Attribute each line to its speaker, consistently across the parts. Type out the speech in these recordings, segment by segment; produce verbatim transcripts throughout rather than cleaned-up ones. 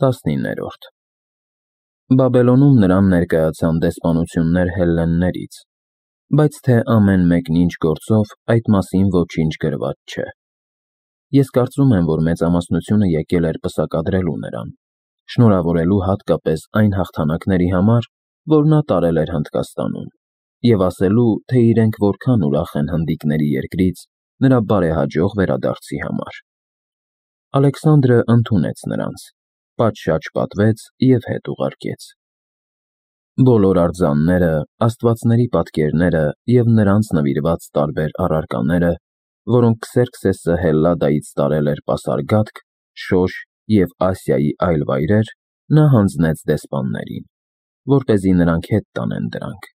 Speaker 1: տասնիններորդ Բաբելոնում նրան ներկայացան դեսպանություններ հելլեններից, բայց թե ամեն մեկն ինչ գործով, այդ մասին ոչինչ գրված չէ։ Ես կարծում եմ, որ մեծամասնությունը եկել էր պսակադրելու նրան, շնորհավորելու հատկապես այն հաղթանակների համար, որ նա տարել էր Հնդկաստանում, և ասելու, թե իրենք որքան ուրախ են հնդիկների երկրից նրա բարեհաջող վերադարձի համար։ Ալեքսանդրը ընդունեց նրանց, պատշաճ պատվեց և հետ ուղարկեց։ Բոլոր արձանները, աստվածների պատկերները և նրանց նվիրված տարբեր առարկաները, որոնք Քսերքսեսը Հելլադայից տարել էր Պասարգադք, Շոշ և Ասիայի այլ վայրեր, նա հանձնեց դեսպաններին, որպեսզի նրանք հետ տանեն դրանք։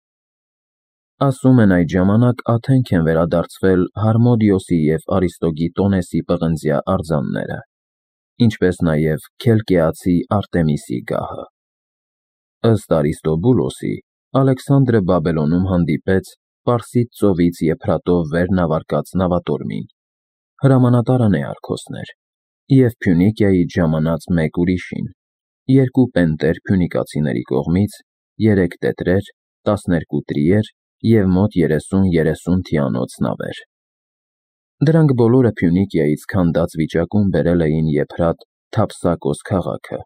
Speaker 1: Ասում են այդ ժամանակ Աթենք են վերադարձվել Հարմոդիոսի և Արիստոգիտոնեսի պղնձյա արձանները, ինչպես նաև Քելկեացի Արտեմիսի գահը։ Ըստ Արիստոբուլոսի, Ալեքսանդրը Բաբելոնում հանդիպեց Պարսից ծովից Եփրատով վեր նավարկած նավատորմին, հրամանատար Անեարքոսներ, և Փյունիկիայից ժամանած մեկ ուրիշին, երկու պենտեր փյունիկացիների կողմից, երեք տետրեր, տասներկու տրիեր և մոտ երեսուն երեսուն թիանոց նավեր։ Դրանք բոլորը Փյունիկիայից քանդած վիճակում բերել էին Եփրատ Թափսակոս քաղաքը։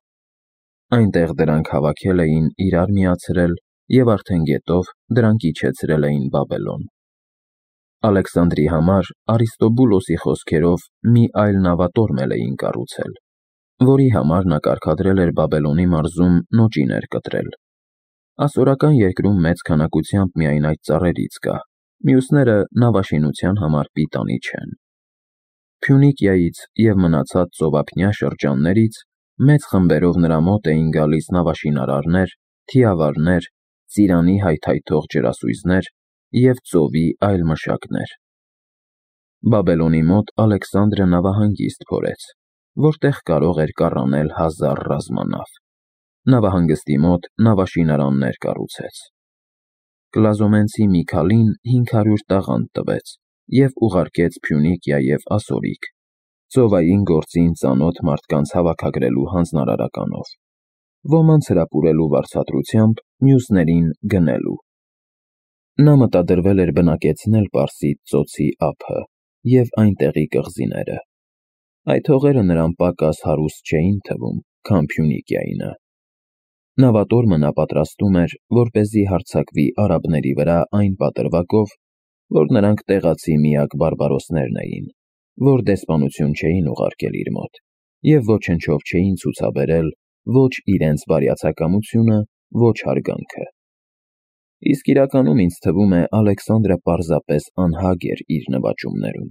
Speaker 1: Այնտեղ դրանք հավաքել էին, իրար միացրել և արդեն գետով դրանք իջեցրել էին Բաբելոն։ Ալեքսանդրի համար Արիստոբուլոսի խոսքերով մի այլ նավատորմ էլ էին կառուցել, որի համար նա կարգադրել էր Բաբելոնի մարզում նոճիներ կտրել։ Ասորական երկրում մեծ քանակությամբ միայն այդ ծառերից կա, մյուսները նավաշինության համար պիտանի չեն։ Փյունիկիայից և մնացած ծովափնյա շրջաններից մեծ խմբերով նրա մոտ էին գալիս նավաշինարարներ, թիավարներ, ծիրանի հայթայթող ջրասույզներ և ծովի այլ մշակներ։ Բաբելոնի մոտ Ալեքսանդրը նավահանգիստ փորեց, որտեղ կարող էր կառանել հազար ռազմանավ։ Նավահանգստի մոտ նավաշինարաններ կառուցեց։ Կլազոմենցի Միքալին հինգ հարյուր տաղանդ տվեց և ուղարկեց Փյունիկիա և Ասորիկ, ծովային գործին ծանոթ մարդկանց հավաքագրելու հանձնարարականով, ոմանց հրապուրելու վարձատրությամբ, մյուսներին գնելու։ Նա մտադրվել էր բնակեցնել Պարսից ծոցի ափը և այնտեղի կղզիները։ Այդ հողերը նրան պակաս հարուստ չէին թվում, քան Փյունիկիայինը։ Նավատորմը նա պատրաստում էր, որպեսզի հարձակվի արաբների վրա այն պատրվակով, որ նրանք տեղացի միակ բարբարոսներն էին, որ դեսպանություն չէին ուղարկել իր մոտ և ոչնչով չէին ցուցաբերել ոչ իրենց բարյացակամությունը, ոչ հարգանքը։ Իսկ իրականում ինձ թվում է Ալեքսանդրը պարզապես անհագ էր իր նվաճումներում։